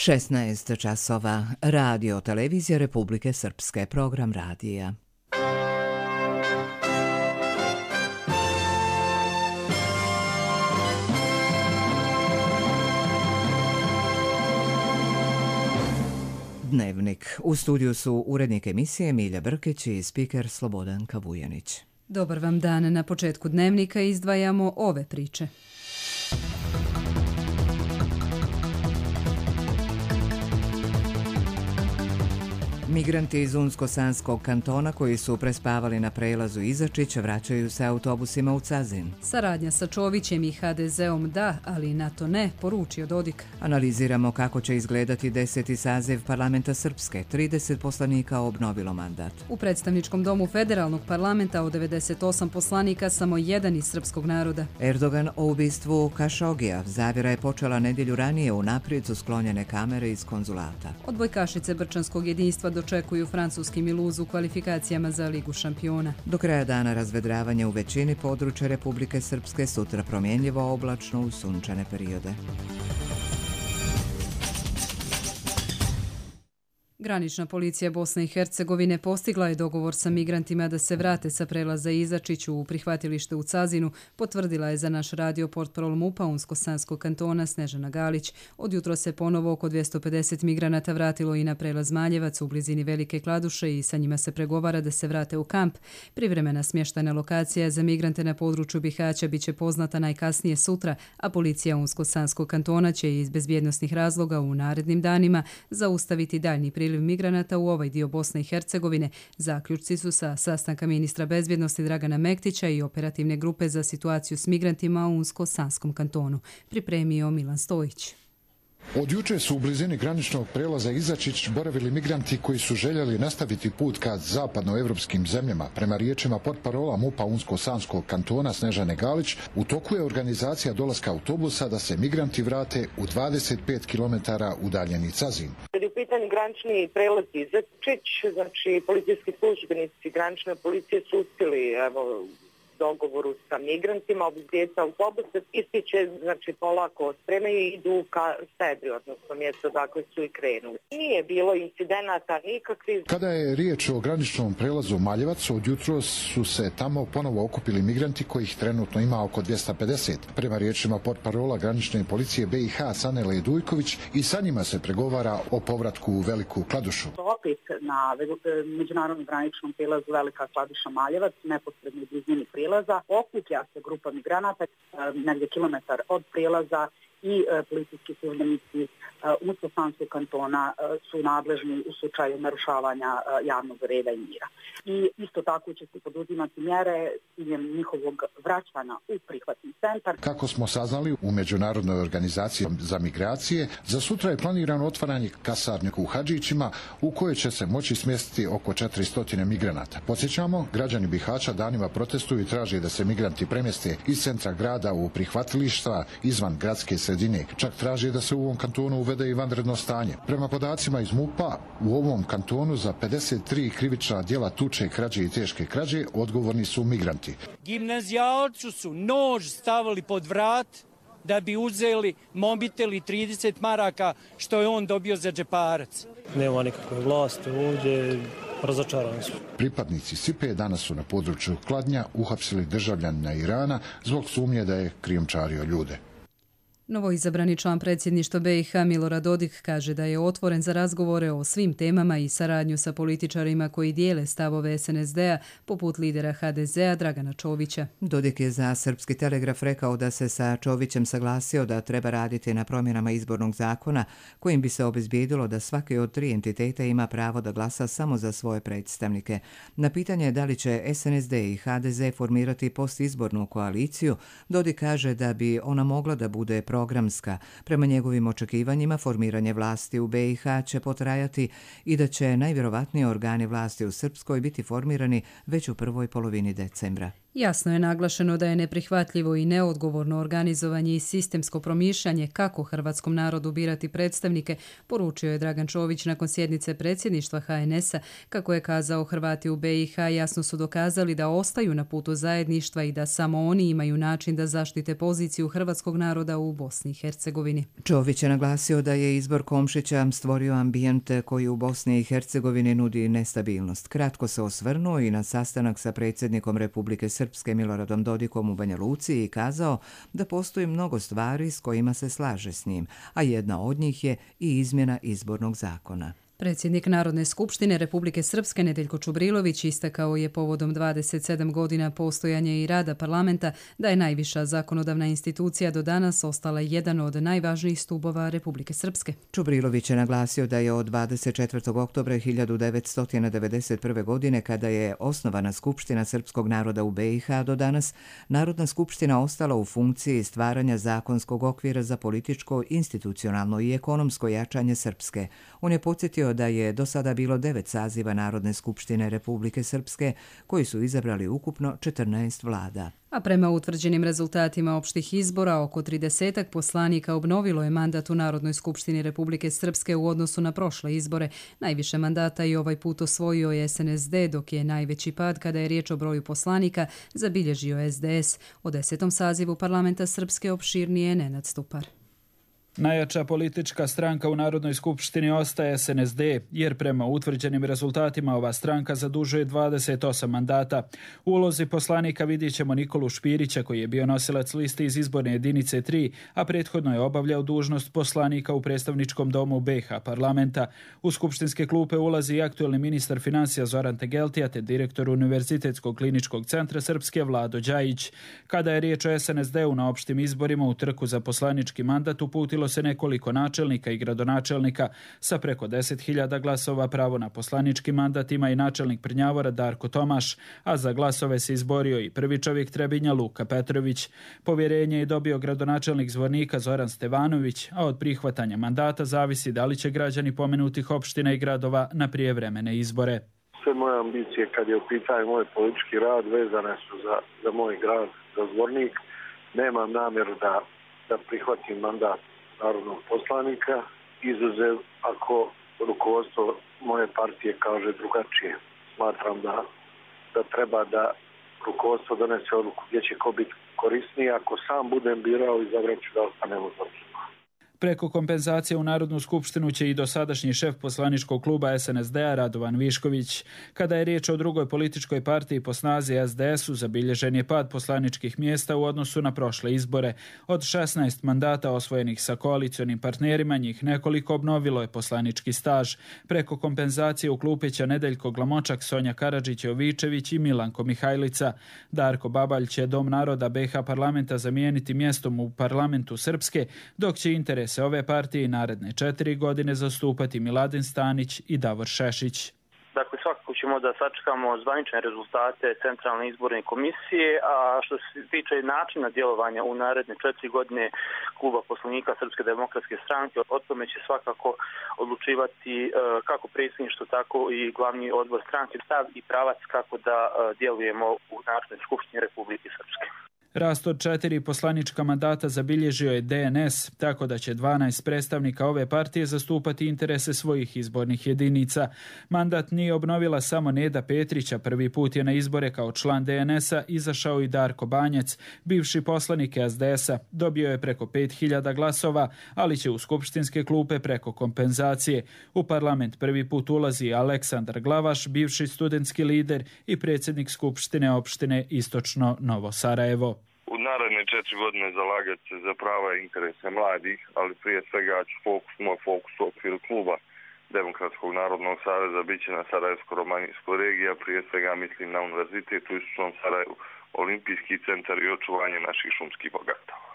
16 časova. Radio Televizija Republike Srpske. Program radija. Dnevnik. U studiju su urednik emisije Milja Brkić i spiker Slobodan Kavujanić. Dobar vam dan. Na početku dnevnika izdvajamo ove priče. Migranti iz Unsko-Sanskog kantona koji su prespavali na prelazu Izačić vraćaju se autobusima u Cazin. Saradnja sa Čovićem i HDZ-om da, ali NATO ne, poručio Dodik. Analiziramo kako će izgledati 10. saziv parlamenta Srpske. 30 poslanika obnovilo mandat. U predstavničkom domu federalnog parlamenta od 98 poslanika samo jedan iz srpskog naroda. Erdogan o ubistvu Kašogija. Zavjera je počela nedjelju ranije, unaprijed su sklonjene kamere iz konzulata. Odbojkašice Brčanskog jedinstva dočekuju francuski Miluz u kvalifikacijama za Ligu šampiona. Do kraja dana razvedravanje u većini područja Republike Srpske, sutra promjenljivo oblačno u sunčane periode. Granična policija Bosne i Hercegovine postigla je dogovor sa migrantima da se vrate sa prelaza Izačiću u prihvatilište u Cazinu, potvrdila je za naš radio portparol MUP-a Unsko-Sanskog kantona Snežana Galić. Od jutro se ponovo oko 250 migranata vratilo i na prelaz Maljevac u blizini Velike Kladuše i sa njima se pregovara da se vrate u kamp. Privremena smještajna lokacija za migrante na području Bihaća biće poznata najkasnije sutra, a policija Unsko-Sanskog kantona će iz bezbjednosnih razloga u narednim danima zaustaviti daljnji priliv migranata u ovaj dio Bosne i Hercegovine. Zaključci su sa sastanka ministra bezbjednosti Dragana Mektića i operativne grupe za situaciju s migrantima u Unsko-Sanskom kantonu. Pripremio Milan Stojić. Od juče su u blizini graničnog prelaza Izačić boravili migranti koji su željeli nastaviti put ka zapadnoevropskim zemljama. Prema riječima portparola MUP-a Unsko-Sanskog kantona Snežane Galić, u toku je organizacija dolaska autobusa da se migranti vrate u 25 km udaljeni Cazin. Kad je u pitanju granični prelaz Izačić, znači policijski službenici granične policije su uspjeli dogovoru sa migrantima, obizbijeti autobuse, isti će, znači, polako spremaju i idu ka sebi, odnosno mjesto dakle su i krenuli. Nije bilo incidenata nikakvih. Kada je riječ o graničnom prelazu Maljevac, od jutro su se tamo ponovo okupili migranti kojih trenutno ima oko 250. Prema riječima portparola granične policije BiH Sanele Dujković, i sa njima se pregovara o povratku u Veliku Kladušu. Opet na međunarodnom graničnom prelazu Velika Kladuša Maljevac, neposredno u blizini prijelaza, okuplja se grupa migranata negdje kilometar od prijelaza i policijski službenici Unsko-Sanskog kantona su nadležni u slučaju narušavanja javnog reda i mira. I isto tako će se poduzimati mjere s ciljem njihovog vraćanja u prihvatni centar. Kako smo saznali u Međunarodnoj organizaciji za migracije, za sutra je planirano otvaranje kasarnje u Hadžićima u kojoj će se moći smjestiti oko 400 migranata. Podsjećamo, građani Bihaća danima protestuju i traže da se migranti premjeste iz centra grada u prihvatilišta izvan gradske sredine. Čak traže da se u ovom kantonu uvede i vanredno stanje. Prema podacima iz MUP-a, u ovom kantonu za 53 krivična djela tuče, krađe i teške krađe odgovorni su migranti. Gimnazijalcu su nož stavili pod vrat da bi uzeli mobitel i 30 maraka što je on dobio za džeparac. Nema nikakve vlasti ovdje, razočarani su. Pripadnici SIPE danas su na području Kladnja uhapsili državljanina Irana zbog sumnje da je krijumčario ljude. Novoizabrani član predsjedništva BiH Milorad Dodik kaže da je otvoren za razgovore o svim temama i saradnju sa političarima koji dijele stavove SNSD-a, poput lidera HDZ-a Dragana Čovića. Dodik je za Srpski telegraf rekao da se sa Čovićem saglasio da treba raditi na promjenama izbornog zakona kojim bi se obezbijedilo da svaki od tri entiteta ima pravo da glasa samo za svoje predstavnike. Na pitanje da li će SNSD i HDZ formirati postizbornu koaliciju, Dodik kaže da bi ona mogla da bude programska. Prema njegovim očekivanjima, formiranje vlasti u BiH će potrajati i da će najvjerovatnije organi vlasti u Srpskoj biti formirani već u prvoj polovini decembra. Jasno je naglašeno da je neprihvatljivo i neodgovorno organizovanje i sistemsko promišljanje kako hrvatskom narodu birati predstavnike, poručio je Dragan Čović nakon sjednice predsjedništva HNS-a. Kako je kazao, Hrvati u BiH jasno su dokazali da ostaju na putu zajedništva i da samo oni imaju način da zaštite poziciju hrvatskog naroda u Bosni i Hercegovini. Čović je naglasio da je izbor Komšića stvorio ambijent koji u Bosni i Hercegovini nudi nestabilnost. Kratko se osvrnuo i na sastanak sa predsjednikom Republike Srpske Miloradom Dodikom u Banja Luci i kazao da postoji mnogo stvari s kojima se slaže s njim, a jedna od njih je i izmjena izbornog zakona. Predsjednik Narodne skupštine Republike Srpske Nedeljko Čubrilović istakao je povodom 27 godina postojanja i rada parlamenta da je najviša zakonodavna institucija do danas ostala jedan od najvažnijih stubova Republike Srpske. Čubrilović je naglasio da je od 24. oktobra 1991. godine, kada je osnovana Skupština srpskog naroda u BiH, do danas Narodna skupština ostala u funkciji stvaranja zakonskog okvira za političko, institucionalno i ekonomsko jačanje Srpske. On je podsjetio da je do sada bilo 9 saziva Narodne skupštine Republike Srpske, koji su izabrali ukupno 14 vlada. A prema utvrđenim rezultatima opštih izbora, oko 30 poslanika obnovilo je mandat u Narodnoj skupštini Republike Srpske u odnosu na prošle izbore. Najviše mandata i ovaj put osvojio je SNSD, dok je najveći pad kada je riječ o broju poslanika zabilježio SDS. O 10. sazivu parlamenta Srpske opširnije je Nenad Stupar. Najjača politička stranka u Narodnoj skupštini ostaje SNSD, jer prema utvrđenim rezultatima ova stranka zadužuje 28 mandata. U ulozi poslanika vidjet ćemo Nikolu Špirića, koji je bio nosilac liste iz izborne jedinice 3, a prethodno je obavljao dužnost poslanika u predstavničkom domu BiH parlamenta. U skupštinske klupe ulazi i aktuelni ministar financija Zoran Tegeltija te direktor Univerzitetskog kliničkog centra Srpske Vlado Đajić. Kada je riječ o SNSD-u na opštim izborima u trku za poslanički mandat uputilo se nekoliko načelnika i gradonačelnika. Sa preko 10.000 glasova pravo na poslanički mandat ima i načelnik Prnjavora Darko Tomaš, a za glasove se izborio i prvi čovjek Trebinja Luka Petrović. Povjerenje je dobio gradonačelnik Zvornika Zoran Stevanović, a od prihvatanja mandata zavisi da li će građani pomenutih opština i gradova na prijevremene izbore. Sve moje ambicije kad je u pitanju moj politički rad vezane su za moj grad, za Zvornik. Nemam namjeru da prihvatim mandat narodnog poslanika, izuzev ako rukovodstvo moje partije kaže drugačije. Smatram da treba da rukovodstvo donese odluku gdje će ko biti korisniji. Ako sam budem birao, izabrat ću da ostanem u Zvorniku. Preko kompenzacije u Narodnu skupštinu će i dosadašnji šef poslaničkog kluba SNSD-a Radovan Višković. Kada je riječ o drugoj političkoj partiji po snazi SDS-u, zabilježen je pad poslaničkih mjesta u odnosu na prošle izbore. Od 16 mandata osvojenih sa koalicionim partnerima, njih nekoliko obnovilo je poslanički staž. Preko kompenzacije u klupe će Nedeljko Glamočak, Sonja Karadžić-Jovičević i Milanko Mihajlica. Darko Babalj će Dom naroda BiH parlamenta zamijeniti mjestom u parlamentu Srpske, dok će interes ove partije naredne 4 godine zastupati Miladin Stanić i Davor Šešić. Dakle, svakako ćemo da sačekamo zvanične rezultate Centralne izborne komisije, a što se tiče načina djelovanja u naredne 4 godine kluba poslanika Srpske demokratske stranke, o tome će svakako odlučivati kako predsjedništvo, tako i glavni odbor stranke, stav i pravac kako da djelujemo u Narodnoj skupštini Republike Srpske. Rast od 4 poslanička mandata zabilježio je DNS, tako da će 12 predstavnika ove partije zastupati interese svojih izbornih jedinica. Mandat nije obnovila samo Neda Petrića, prvi put je na izbore kao član DNS-a izašao i Darko Banjac, bivši poslanik SDS-a. Dobio je preko 5.000 glasova, ali će u skupštinske klupe preko kompenzacije. U parlament prvi put ulazi Aleksandar Glavaš, bivši studentski lider i predsjednik skupštine opštine Istočno Novo Sarajevo. U naredne 4 godine zalagati se za prava i interese mladih, ali prije svega ću moj fokus u okviru kluba Demokratskog narodnog saveza bit će na Sarajevsko-Romanijskoj regiji, a prije svega mislim na Univerzitet u Istočnom Sarajevu, Olimpijski centar i očuvanje naših šumskih bogatstava.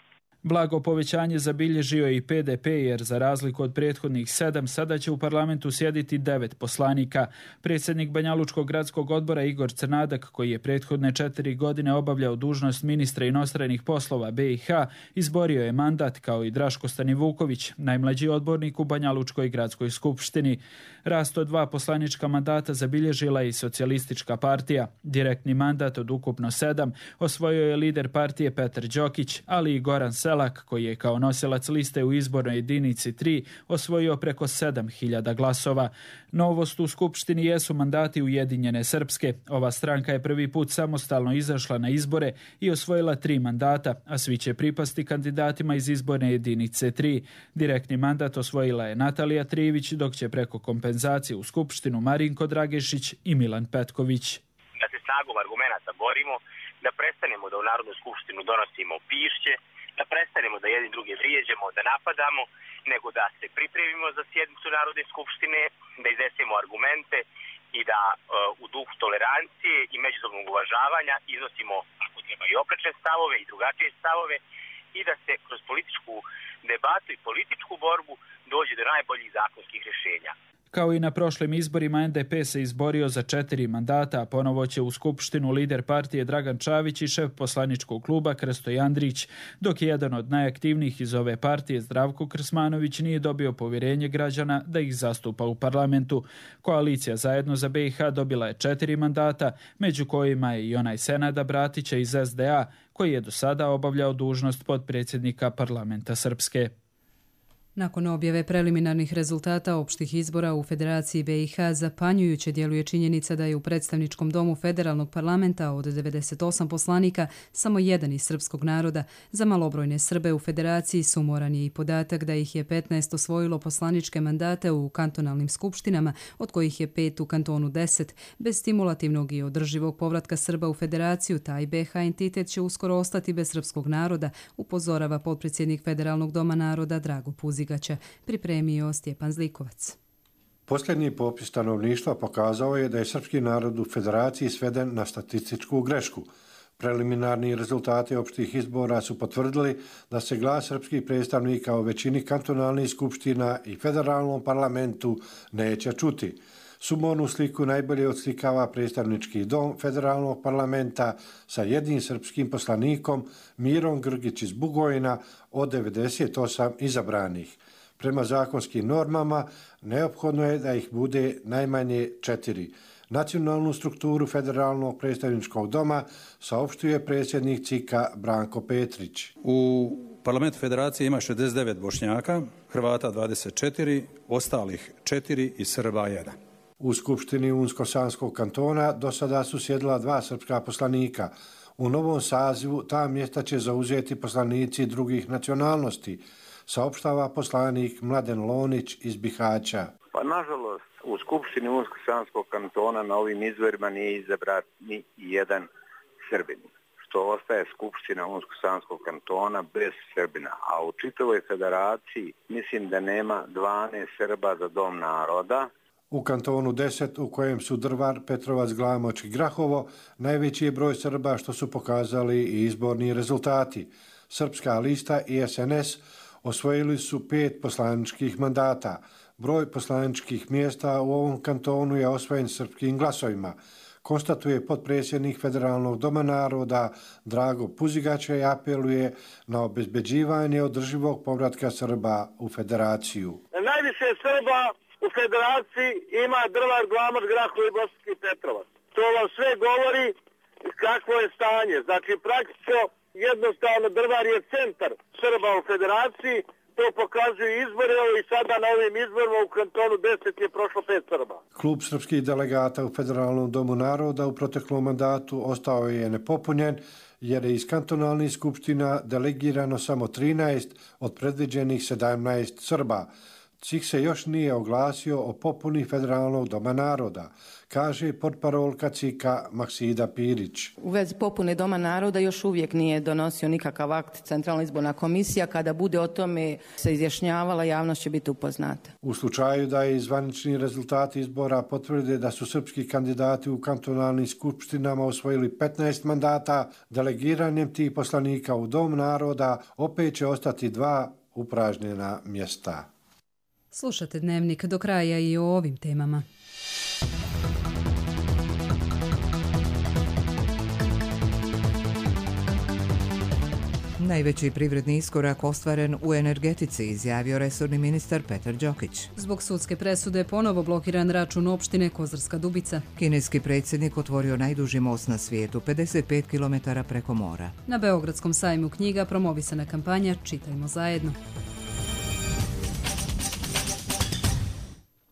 Blago povećanje zabilježio i PDP, jer za razliku od prethodnih 7, sada će u parlamentu sjediti 9 poslanika. Predsjednik Banjalučkog gradskog odbora Igor Crnadak, koji je prethodne 4 godine obavljao dužnost ministra inostranih poslova BiH, izborio je mandat kao i Draško Stanivuković, najmlađi odbornik u Banjalučkoj gradskoj skupštini. Rast od 2 poslanička mandata zabilježila i Socijalistička partija. Direktni mandat od ukupno 7 osvojio je lider partije Petar Đokić, ali i Goran Selak, koji je kao nosilac liste u izbornoj jedinici 3 osvojio preko 7.000 glasova. Novost u skupštini jesu mandati Ujedinjene Srpske. Ova stranka je prvi put samostalno izašla na izbore i osvojila 3 mandata, a svi će pripasti kandidatima iz izborne jedinice 3. Direktni mandat osvojila je Natalija Trivić, dok će preko kompenzacije u skupštinu Marinko Dragešić i Milan Petković. Da se snagom argumenata borimo, da prestanemo da u Narodnu skupštinu donosimo pišće, da prestanemo da jedni druge vrijeđamo, da napadamo, nego da se pripremimo za sjednicu Narodne skupštine, da iznesemo argumente i da u duhu tolerancije i međusobnog uvažavanja iznosimo, ako treba, i oprečne stavove i drugačije stavove i da se kroz političku debatu i političku borbu dođe do najboljih zakonskih rješenja. Kao i na prošlim izborima, NDP se izborio za 4 mandata, a ponovo će u skupštinu lider partije Dragan Čavić i šef poslaničkog kluba Krsto Andrić, dok je jedan od najaktivnijih iz ove partije, Zdravko Krsmanović, nije dobio povjerenje građana da ih zastupa u parlamentu. Koalicija Zajedno za BiH dobila je 4 mandata, među kojima je i onaj Senada Bratića iz SDA, koji je do sada obavljao dužnost potpredsjednika parlamenta Srpske. Nakon objave preliminarnih rezultata opštih izbora u Federaciji BiH, zapanjujuće djeluje činjenica da je u predstavničkom domu federalnog parlamenta od 98 poslanika samo jedan iz srpskog naroda. Za malobrojne Srbe u Federaciji sumoran je i podatak da ih je 15 osvojilo poslaničke mandate u kantonalnim skupštinama, od kojih je 5 u kantonu 10. Bez stimulativnog i održivog povratka Srba u Federaciju, taj BiH entitet će uskoro ostati bez srpskog naroda, upozorava potpredsjednik Federalnog doma naroda Drago Puzigaća. Pripremio Stjepan Zlikovac. Posljednji popis stanovništva pokazao je da je srpski narod u Federaciji sveden na statističku grešku. Preliminarni rezultati opštih izbora su potvrdili da se glas srpskih predstavnika u većini kantonalnih skupština i federalnom parlamentu neće čuti. Sumornu sliku najbolje odslikava predstavnički dom federalnog parlamenta sa jednim srpskim poslanikom Mirom Grgić iz Bugojna od 98 izabranih. Prema zakonskim normama neophodno je da ih bude najmanje 4. Nacionalnu strukturu federalnog predstavničkog doma saopštuje predsjednik CIK-a Branko Petrić. U parlamentu federacije ima 69 Bošnjaka, Hrvata 24, ostalih 4 i Srba 1. U Skupštini Unsko-Sanskog kantona do sada su sjedila 2 srpska poslanika. U novom sazivu ta mjesta će zauzeti poslanici drugih nacionalnosti, saopštava poslanik Mladen Lonić iz Bihaća. Pa nažalost, u Skupštini Unsko-Sanskog kantona na ovim izborima nije izabran ni jedan Srbin, što ostaje Skupština Unsko-Sanskog kantona bez Srbina. A u čitavoj federaciji mislim da nema 12 Srba za dom naroda. U kantonu 10, u kojem su Drvar, Petrovac, Glamoč i Grahovo, najveći je broj Srba, što su pokazali i izborni rezultati. Srpska lista i SNS osvojili su 5 poslaničkih mandata. Broj poslaničkih mjesta u ovom kantonu je osvojen srpskim glasovima, konstatuje potpredsjednik Federalnog doma naroda Drago Puzigaća i apeluje na obezbeđivanje održivog povratka Srba u Federaciju. Najviše Srba u Federaciji ima Drvar, Glamoč, Grahovo i Bosanski Petrovac. To vam sve govori kakvo je stanje. Znači, praktično, jednostavno, Drvar je centar Srba u Federaciji. To pokazuju izbore i sada na ovim izborima u kantonu 10 je prošlo 5 Srba. Klub srpskih delegata u Federalnom domu naroda u proteklom mandatu ostao je nepopunjen jer je iz kantonalnih skupština delegirano samo 13 od predviđenih 17 Srba. CIK se još nije oglasio o popuni Federalnog doma naroda, kaže portparolka CIK-a Maksida Pirić. U vezi popune Doma naroda još uvijek nije donosio nikakav akt Centralna izborna komisija. Kada bude o tome se izjašnjavala, javnost će biti upoznata. U slučaju da je zvanični rezultati izbora potvrde da su srpski kandidati u kantonalnim skupštinama osvojili 15 mandata, delegiranjem tih poslanika u Dom naroda opet će ostati 2 upražnjena mjesta. Slušate Dnevnik do kraja i o ovim temama. Najveći privredni iskorak ostvaren u energetici, izjavio resorni ministar Petar Đokić. Zbog sudske presude ponovo blokiran račun opštine Kozarska Dubica. Kineski predsjednik otvorio najduži most na svijetu, 55 km preko mora. Na Beogradskom sajmu knjiga promovisana kampanja Čitajmo zajedno.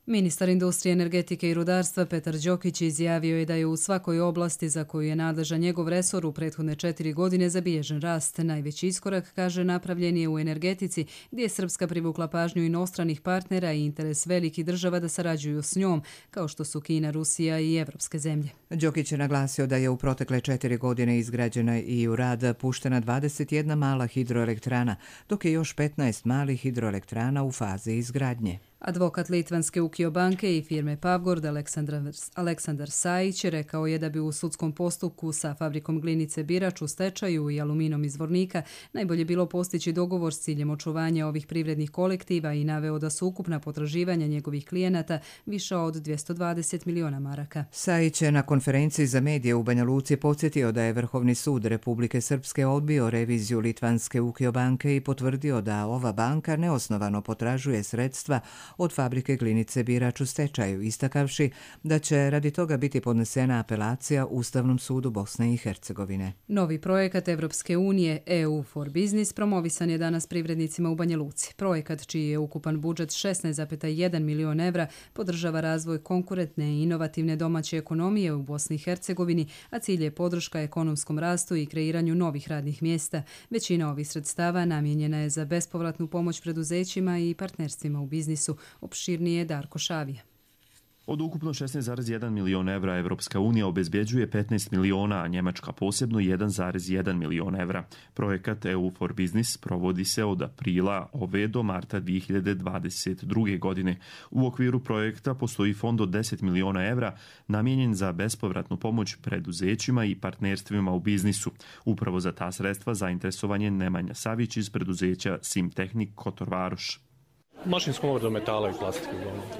Ministar industrije, energetike i rudarstva Petar Đokić izjavio je da je u svakoj oblasti za koju je nadležan njegov resor u prethodne 4 godine zabilježen rast. Najveći iskorak, kaže, napravljen je u energetici, gdje je Srpska privukla pažnju inostranih partnera i interes velikih država da sarađuju s njom, kao što su Kina, Rusija i evropske zemlje. Đokić je naglasio da je u protekle 4 godine izgrađena i u rad puštena 21 mala hidroelektrana, dok je još 15 malih hidroelektrana u fazi izgradnje. Advokat Litvanske Ukio banke i firme Pavgord Aleksandar Sajić rekao je da bi u sudskom postupku sa fabrikom glinice Birač u stečaju i aluminom iz Vornika najbolje bilo postići dogovor s ciljem očuvanja ovih privrednih kolektiva i naveo da su ukupna potraživanja njegovih klijenata viša od 220 miliona maraka. Sajić je na konferenciji za medije u Banja Luci podsjetio da je Vrhovni sud Republike Srpske odbio reviziju Litvanske Ukio banke i potvrdio da ova banka neosnovano potražuje sredstva od fabrike glinice Birač u stečaju, istakavši da će radi toga biti podnesena apelacija Ustavnom sudu Bosne i Hercegovine. Novi projekat Evropske unije EU for Business promovisan je danas privrednicima u Banja Luci. Projekat, čiji je ukupan budžet 16,1 milion evra, podržava razvoj konkurentne i inovativne domaće ekonomije u Bosni i Hercegovini, a cilj je podrška ekonomskom rastu i kreiranju novih radnih mjesta. Većina ovih sredstava namijenjena je za bespovratnu pomoć preduzećima i partnerstvima u biznisu. Opširnije Darko Šavija. Od ukupno 16,1 milion evra Evropska unija obezbjeđuje 15 miliona, a Njemačka posebno 1,1 milion evra. Projekat EU for Business provodi se od aprila ove do marta 2022. godine. U okviru projekta postoji fond od 10 miliona evra namijenjen za bespovratnu pomoć preduzećima i partnerstvima u biznisu. Upravo za ta sredstva zainteresovan je Nemanja Savić iz preduzeća Simtehnik Kotor Varoš. Mašinskom obradom metala i plastike.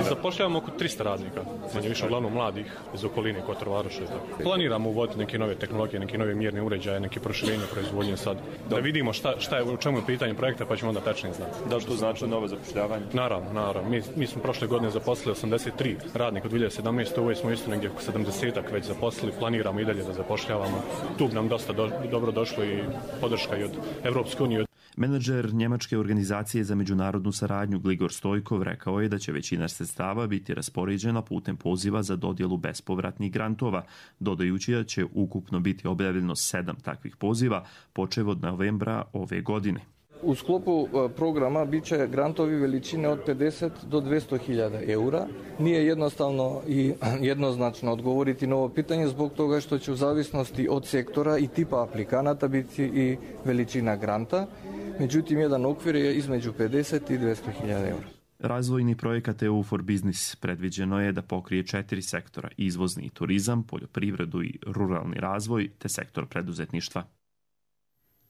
Zapošljavamo oko 300 radnika, manje više uglavnom mladih iz okoline Kotor Varoša. Planiramo uvoditi neke nove tehnologije, neke nove mjerne uređaje, neke proširenje proizvodnje sad. Da vidimo šta je, u čemu je pitanje projekta, pa ćemo onda tačnije znati. Da li to znači novo zapošljavanje? Naravno. Mi smo prošle godine zaposlili 83 radnika, od 2017. Ovo smo isto negdje oko 70-ak već zaposlili, planiramo i dalje da zapošljavamo. Tu bi nam dosta dobro došlo i podrška i od Evropske unije. Menadžer Njemačke organizacije za međunarodnu saradnju Gligor Stojkov rekao je da će većina sredstava biti raspoređena putem poziva za dodjelu bespovratnih grantova, dodajući da će ukupno biti objavljeno 7 takvih poziva, počev od novembra ove godine. U sklopu programa bit će grantovi veličine od 50 do 200.000 eura. Nije jednostavno i jednoznačno odgovoriti na ovo pitanje zbog toga što će u zavisnosti od sektora i tipa aplikanata biti i veličina granta. Međutim, jedan okvir je između 50 i 200.000 eura. Razvojni projekat EU for Business predviđeno je da pokrije 4 sektora: izvozni turizam, poljoprivredu i ruralni razvoj te sektor preduzetništva.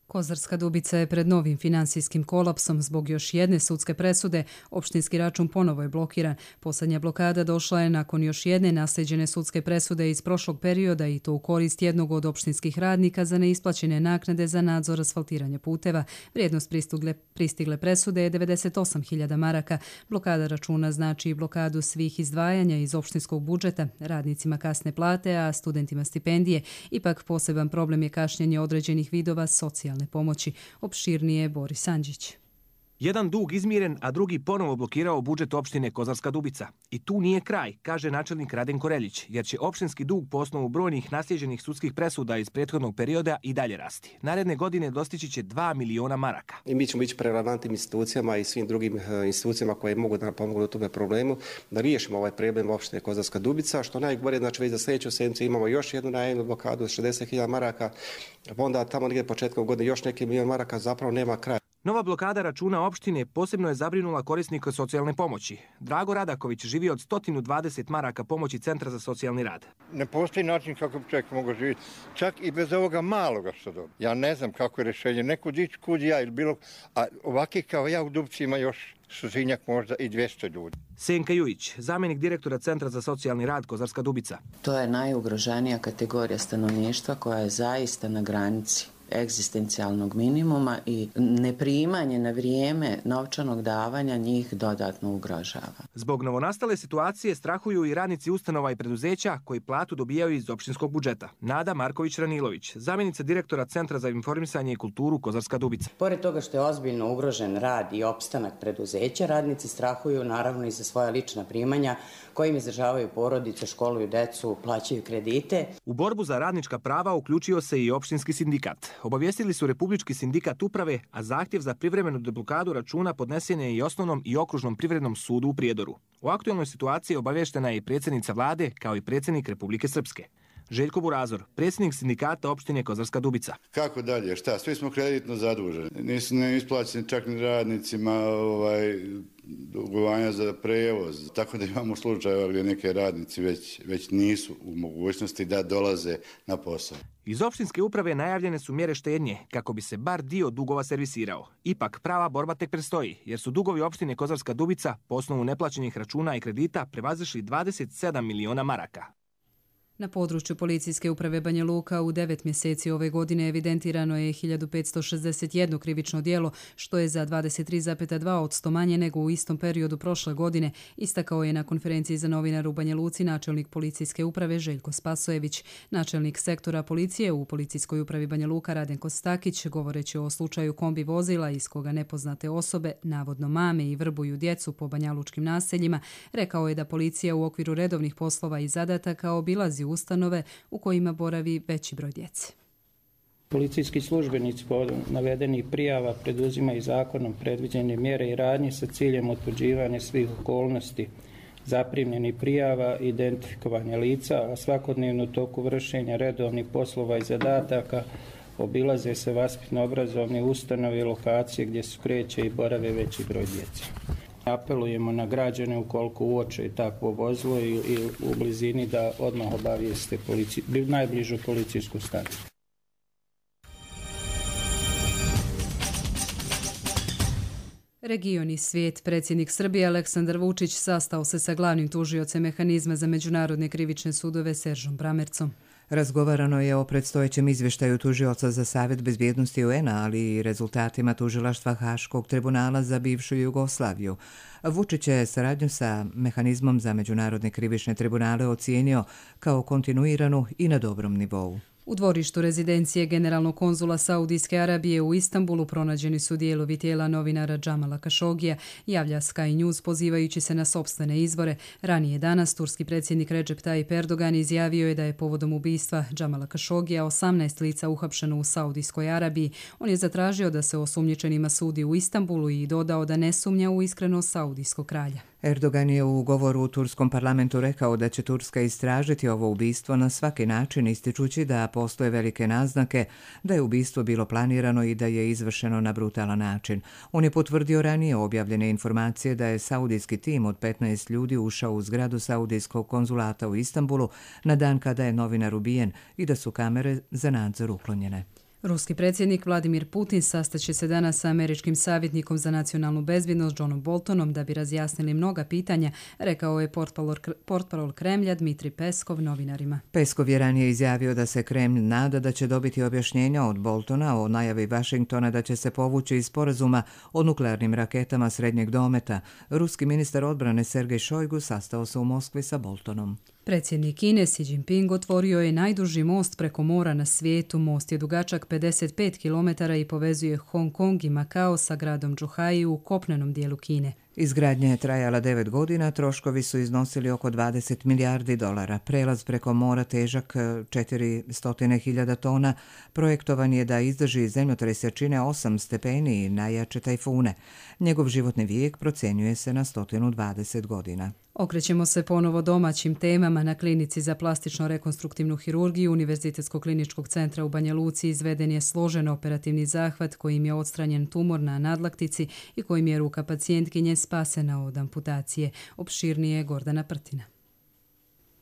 Kozarska Dubica je pred novim finansijskim kolapsom zbog još jedne sudske presude. Opštinski račun ponovo je blokiran. Posljednja blokada došla je nakon još jedne naslijeđene sudske presude iz prošlog perioda i to u korist jednog od opštinskih radnika za neisplaćene naknade za nadzor asfaltiranja puteva. Vrijednost pristigle presude je 98.000 maraka. Blokada računa znači i blokadu svih izdvajanja iz opštinskog budžeta, radnicima kasne plate, a studentima stipendije. Ipak poseban problem je kašnjenje određenih vidova socijalne pomoći. Opširnije Boris Andžić. Jedan dug izmiren, a drugi ponovo blokirao budžet opštine Kozarska Dubica. I tu nije kraj, kaže načelnik Radenko Reljić, jer će opštinski dug po osnovu brojnih naslijeđenih sudskih presuda iz prethodnog perioda i dalje rasti. Naredne godine dostići će 2 miliona maraka. I mi ćemo ići relevantnim institucijama i svim drugim institucijama koje mogu da nam pomognu u tome problemu, da riješimo ovaj problem opštine Kozarska Dubica, što najgore, znači već za sljedeću sedmicu imamo još jednu najemnu blokadu od 60.000 maraka, onda tamo negdje početkom godine još neki milion maraka, zapravo nema kraja. Nova blokada računa opštine posebno je zabrinula korisnika socijalne pomoći. Drago Radaković živi od 120 maraka pomoći Centra za socijalni rad. Ne postoji način kako bi čovjek mogao živjeti, čak i bez ovoga maloga što dobije. Ja ne znam kako je rješenje, neko dići kud ja ili bilo, a ovaki kao ja u Dubci ima još suzinjak možda i 200 ljudi. Senka Jujić, zamjenik direktora Centra za socijalni rad Kozarska Dubica. To je najugroženija kategorija stanovništva koja je zaista na granici egzistencijalnog minimuma i neprimanje na vrijeme novčanog davanja njih dodatno ugrožava. Zbog novonastale situacije strahuju i radnici ustanova i preduzeća koji platu dobijaju iz opštinskog budžeta. Nada Marković-Ranilović, zamjenica direktora Centra za informisanje i kulturu Kozarska Dubica. Pored toga što je ozbiljno ugrožen rad i opstanak preduzeća, radnici strahuju naravno i za svoja lična primanja kojim izdržavaju porodice, školuju decu, plaćaju kredite. U borbu za radnička prava uključio se i opštinski sindikat. Obavijestili su Republički sindikat uprave, a zahtjev za privremenu deblokadu računa podnesen je i Osnovnom i Okružnom privrednom sudu u Prijedoru. O aktualnoj situaciji obavještena je i predsjednica vlade, kao i predsjednik Republike Srpske. Željko Burazor, predsjednik sindikata opštine Kozarska Dubica. Kako dalje? Šta? Svi smo kreditno zaduženi. Nisu isplaćeni čak ni radnicima dugovanja za prevoz. Tako da imamo slučajeva gdje neke radnici već nisu u mogućnosti da dolaze na posao. Iz opštinske uprave najavljene su mjere štednje kako bi se bar dio dugova servisirao. Ipak prava borba tek predstoji, jer su dugovi opštine Kozarska Dubica po osnovu neplaćenih računa i kredita prevazišli 27 miliona maraka. Na području policijske uprave Banja Luka u 9 mjeseci ove godine evidentirano je 1561 krivično djelo, što je za 23,2% manje nego u istom periodu prošle godine, istakao je na konferenciji za novinare u Banja Luci načelnik policijske uprave Željko Spasojević. Načelnik sektora policije u policijskoj upravi Banja Luka Radenko Stakić, govoreći o slučaju kombi vozila iz koga nepoznate osobe navodno mame i vrbuju djecu po banjalučkim naseljima, rekao je da policija u okviru redovnih poslova i zadataka obilazi ustanove u kojima boravi veći broj djece. Policijski službenici po navedenih prijava preduzimaju zakonom predviđene mjere i radnje sa ciljem utvrđivanja svih okolnosti zaprimljenih prijava, identifikovanja lica, a svakodnevno u toku vršenja redovnih poslova i zadataka obilaze se vaspitno-obrazovne ustanove i lokacije gdje se kreće i borave veći broj djece. Apelujemo na građane ukoliko uoče takvo vozilo i u blizini da odmah obavijeste najbližu policijsku stanicu. Region i svijet. Predsjednik Srbije Aleksandar Vučić sastao se sa glavnim tužiocem mehanizma za međunarodne krivične sudove Seržom Bramercom. Razgovarano je o predstojećem izvještaju tužioca za Savjet bezbjednosti UN-a, ali i rezultatima tužilaštva Haškog tribunala za bivšu Jugoslaviju. Vučić je saradnju sa mehanizmom za međunarodne krivične tribunale ocijenio kao kontinuiranu i na dobrom nivou. U dvorištu rezidencije generalnog konzula Saudijske Arabije u Istanbulu pronađeni su dijelovi tijela novinara Džamala Kašogija, javlja Sky News pozivajući se na sopstvene izvore. Ranije danas turski predsjednik Recep Tayyip Erdogan izjavio je da je povodom ubistva Džamala Kašogija 18 lica uhapšeno u Saudijskoj Arabiji. On je zatražio da se osumnjičenima sudi u Istanbulu i dodao da ne sumnja u iskrenost saudijskog kralja. Erdogan je u govoru u turskom parlamentu rekao da će Turska istražiti ovo ubistvo na svaki način, ističući da postoje velike naznake da je ubistvo bilo planirano i da je izvršeno na brutalan način. On je potvrdio ranije objavljene informacije da je saudijski tim od 15 ljudi ušao u zgradu saudijskog konzulata u Istanbulu na dan kada je novinar ubijen i da su kamere za nadzor uklonjene. Ruski predsjednik Vladimir Putin sastaće se danas sa američkim savjetnikom za nacionalnu bezbjednost Johnom Boltonom da bi razjasnili mnoga pitanja, rekao je portparol Kremlja Dmitri Peskov novinarima. Peskov je ranije izjavio da se Kremlj nada da će dobiti objašnjenja od Boltona o najavi Vašingtona da će se povući iz sporazuma o nuklearnim raketama srednjeg dometa. Ruski ministar odbrane Sergej Šojgu sastao se u Moskvi sa Boltonom. Predsjednik Kine Xi Jinping otvorio je najduži most preko mora na svijetu. Most je dugačak 55 km i povezuje Hong Kong i Makao sa gradom Zhuhai u kopnenom dijelu Kine. Izgradnja je trajala 9 godina, troškovi su iznosili oko 20 milijardi dolara. Prelaz preko mora težak 400.000 tona. Projektovan je da izdrži zemljotres jačine 8 stepeni i najjače tajfune. Njegov životni vijek procjenjuje se na 120 godina. Okrećemo se ponovo domaćim temama. Na klinici za plastično rekonstruktivnu hirurgiju Univerzitetskog kliničkog centra u Banja Luci izveden je složen operativni zahvat kojim je odstranjen tumor na nadlaktici i kojim je ruka pacijentkinje spasena od amputacije. Opširnije Gordana Prtina.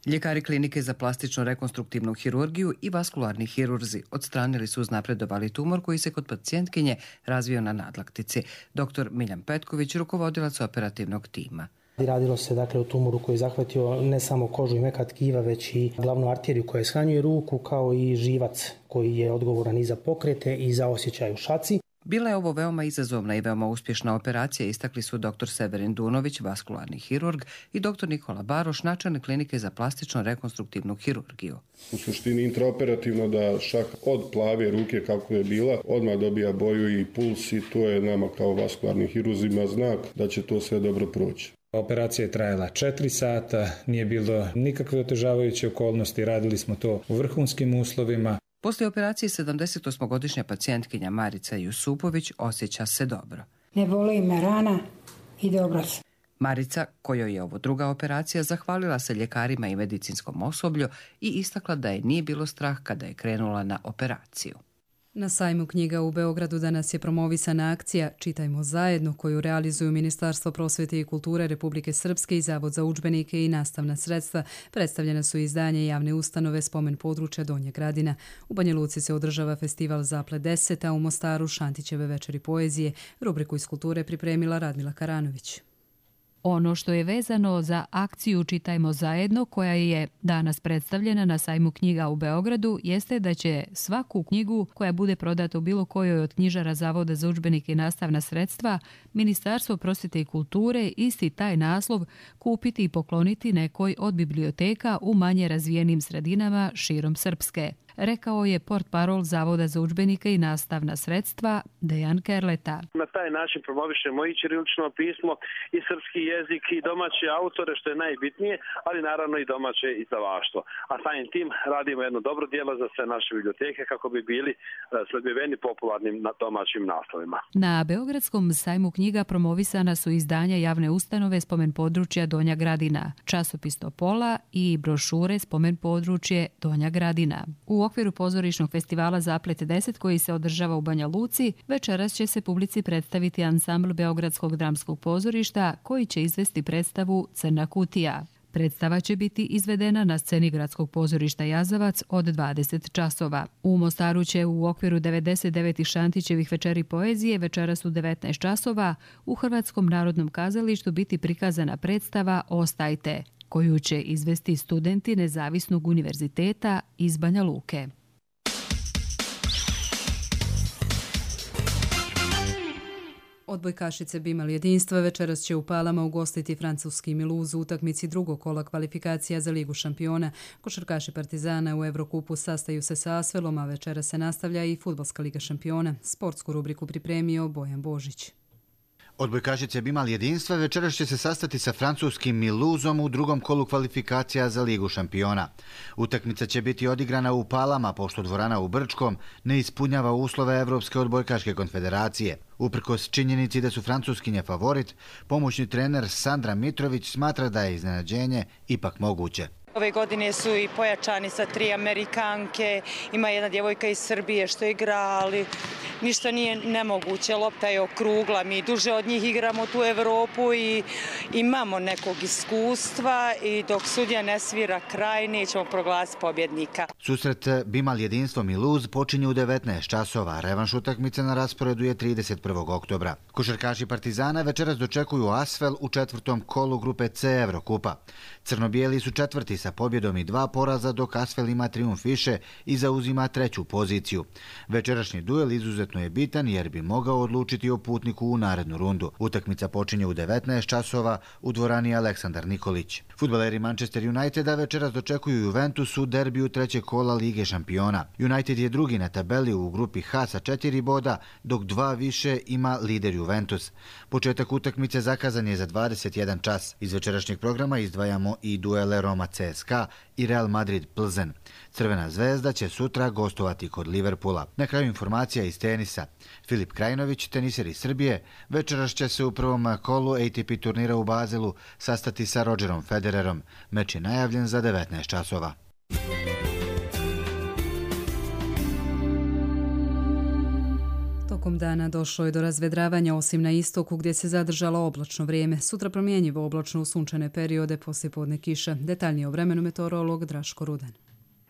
Ljekari klinike za plastično rekonstruktivnu hirurgiju i vaskularni hirurzi odstranili su uznapredovali tumor koji se kod pacijentkinje razvio na nadlaktici. Dr. Miljan Petković, rukovodilac operativnog tima. Radilo se dakle o tumoru koji je zahvatio ne samo kožu i meka tkiva, već i glavnu arteriju koja shranjuje ruku, kao i živac koji je odgovoran i za pokrete i za osjećaj u šaci. Bila je ovo veoma izazovna i veoma uspješna operacija, istakli su dr. Severin Dunović, vaskularni hirurg, i dr. Nikola Baroš, načelnik klinike za plastično rekonstruktivnu hirurgiju. U suštini intraoperativno da šah od plave ruke kako je bila odmah dobija boju i puls, i to je nama kao vaskularnim hirurzima znak da će to sve dobro proći. Operacija je trajala 4 sata, nije bilo nikakve otežavajuće okolnosti, radili smo to u vrhunskim uslovima. Poslije operacije 78-godišnja pacijentkinja Marica Jusupović osjeća se dobro. Ne boli me rana i dobro se. Marica, kojoj je ovo druga operacija, zahvalila se ljekarima i medicinskom osoblju i istakla da je nije bilo strah kada je krenula na operaciju. Na sajmu knjiga u Beogradu danas je promovisana akcija Čitajmo zajedno, koju realizuju Ministarstvo prosvjete i kulture Republike Srpske i Zavod za udžbenike i nastavna sredstva. Predstavljena su izdanje javne ustanove Spomen područja Donja Gradina. U Banja Luci se održava festival Zaplet 10, a u Mostaru Šantićeve večeri poezije. Rubriku iz kulture pripremila Radmila Karanović. Ono što je vezano za akciju Čitajmo zajedno, koja je danas predstavljena na sajmu knjiga u Beogradu, jeste da će svaku knjigu koja bude prodata u bilo kojoj od knjižara Zavoda za udžbenike i nastavna sredstva, Ministarstvo prosvjete i kulture isti taj naslov kupiti i pokloniti nekoj od biblioteka u manje razvijenim sredinama širom Srpske. Rekao je portparol Zavoda za udžbenike i nastavna sredstva Dejan Kerleta. Na taj način promovišemo i ćirilično pismo i srpski jezik i domaće autore, što je najbitnije, ali naravno i domaće izdavaštvo. A samim tim radimo jedno dobro djelo za sve naše biblioteke kako bi bili sledbiveni popularnim domaćim naslovima. Na Beogradskom sajmu knjiga promovisana su izdanja javne ustanove Spomen područja Donja Gradina, časopis Topola i brošure Spomen područje Donja Gradina. U okviru pozorišnog festivala Zaplet 10 koji se održava u Banja Luci, večeras će se publici predstaviti ansambl Beogradskog dramskog pozorišta koji će izvesti predstavu Crna kutija. Predstava će biti izvedena na sceni Gradskog pozorišta Jazavac od 20 časova. U Mostaru će u okviru 99. Šantićevih večeri poezije večeras u 19 časova u Hrvatskom narodnom kazalištu biti prikazana predstava Ostajte, koju će izvesti studenti Nezavisnog univerziteta iz Banja Luke. Odbojkašice bi imali jedinstva, večeras će u Palama ugostiti francuski Mulhouse u utakmici drugog kola kvalifikacija za Ligu šampiona. Košarkaši Partizana u Evrokupu sastaju se sa Asvelom, a večeras se nastavlja i Fudbalska liga šampiona. Sportsku rubriku pripremio Bojan Božić. Odbojkašice bi imali jedinstva, večeras će se sastati sa francuskim Mulhouseom u drugom kolu kvalifikacija za Ligu šampiona. Utakmica će biti odigrana u Palama, pošto dvorana u Brčkom ne ispunjava uslove Evropske odbojkaške konfederacije. Uprkos činjenici da su francuskinje favorit, pomoćni trener Sandra Mitrović smatra da je iznenađenje ipak moguće. Ove godine su i pojačani sa 3 Amerikanke, ima jedna djevojka iz Srbije što igra, ali ništa nije nemoguće, lopta je okrugla, mi duže od njih igramo tu Evropu i imamo nekog iskustva i dok sudija ne svira kraj, nećemo proglasiti pobjednika. Susret bi imali jedinstvo Mulhouse počinje u 19 časova, revanš utakmice na rasporedu je 31. oktobra. Košarkaši Partizana večeras dočekuju Asvel u četvrtom kolu grupe C Evrokupa. Crno-bijeli su četvrti sa pobjedom i 2 poraza, dok Asvel ima trijumf više i zauzima 3. poziciju. Večerašnji duel izuzetno je bitan jer bi mogao odlučiti o putniku u narednu rundu. Utakmica počinje u 19 časova u dvorani Aleksandar Nikolić. Fudbaleri Manchester Uniteda večeras dočekuju Juventus u derbiju 3. kola Lige šampiona. United je drugi na tabeli u grupi H sa 4 boda, dok 2 više ima lider Juventus. Početak utakmice zakazan je za 21 čas. Iz večerašnjeg programa izdvajamo i duele Roma CSKA i Real Madrid Plzen. Crvena zvezda će sutra gostovati kod Liverpoola. Na kraju informacija iz tenisa. Filip Krajinović, teniser iz Srbije, večeras će se u prvom kolu ATP turnira u Bazelu sastati sa Rogerom Federerom. Meč je najavljen za 19 časova. Tokom dana došlo je do razvedravanja osim na istoku gdje se zadržalo oblačno vrijeme. Sutra promjenjivo oblačno u sunčane periode, poslijepodne kiša. Detaljnije o vremenu meteorolog Draško Rudan.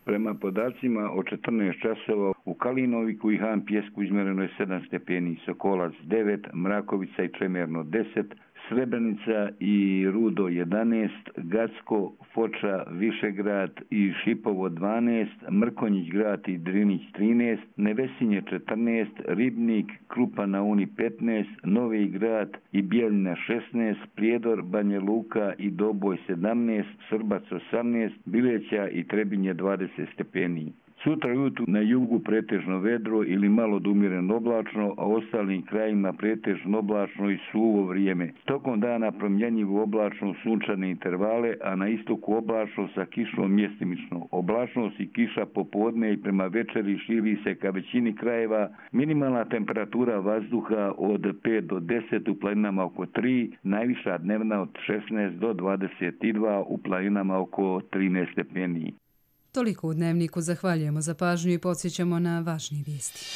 Prema podacima od 14 časova u Kalinoviku i Han Pjesku izmjereno je 7 stepeni, Sokolac 9, Mrakovica i Čemerno 10, Srebrenica i Rudo 11, Gacko, Foča, Višegrad i Šipovo 12, Mrkonjić grad i Drinić 13, Nevesinje 14, Ribnik, Krupa na Uni 15, Novi grad i Bijeljina 16, Prijedor, Banja Luka i Doboj 17, Srbac 18, Bileća i Trebinje 20 stepeni. Sutra ujutru na jugu pretežno vedro ili malo do umjereno oblačno, a ostalim krajima pretežno oblačno i suvo vrijeme. Tokom dana promjenjivo oblačno u sunčane intervale, a na istoku oblačno sa kišom mjestimično. Oblačnost i kiša popodne i prema večeri širi se ka većini krajeva. Minimalna temperatura vazduha od 5 do 10, u planinama oko 3, najviša dnevna od 16 do 22, u planinama oko 13 stepeni. Toliko u Dnevniku, zahvaljujemo za pažnju i podsjećamo na važnije vijesti.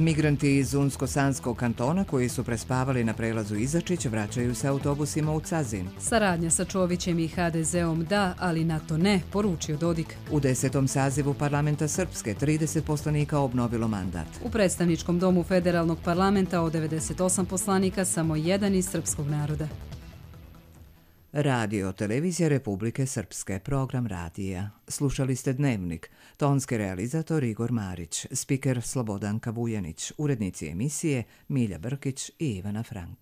Migranti iz Unsko-Sanskog kantona koji su prespavali na prelazu Izačić vraćaju se autobusima u Cazin. Saradnja sa Čovićem i HDZ-om da, ali NATO ne, poručio Dodik. U 10. sazivu parlamenta Srpske 30 poslanika obnovilo mandat. U predstavničkom domu federalnog parlamenta od 98 poslanika samo jedan iz srpskog naroda. Radio Televizija Republike Srpske, program radija. Slušali ste Dnevnik, tonski realizator Igor Marić, spiker Slobodanka Vujanić, urednici emisije Milja Brkić i Ivana Frank.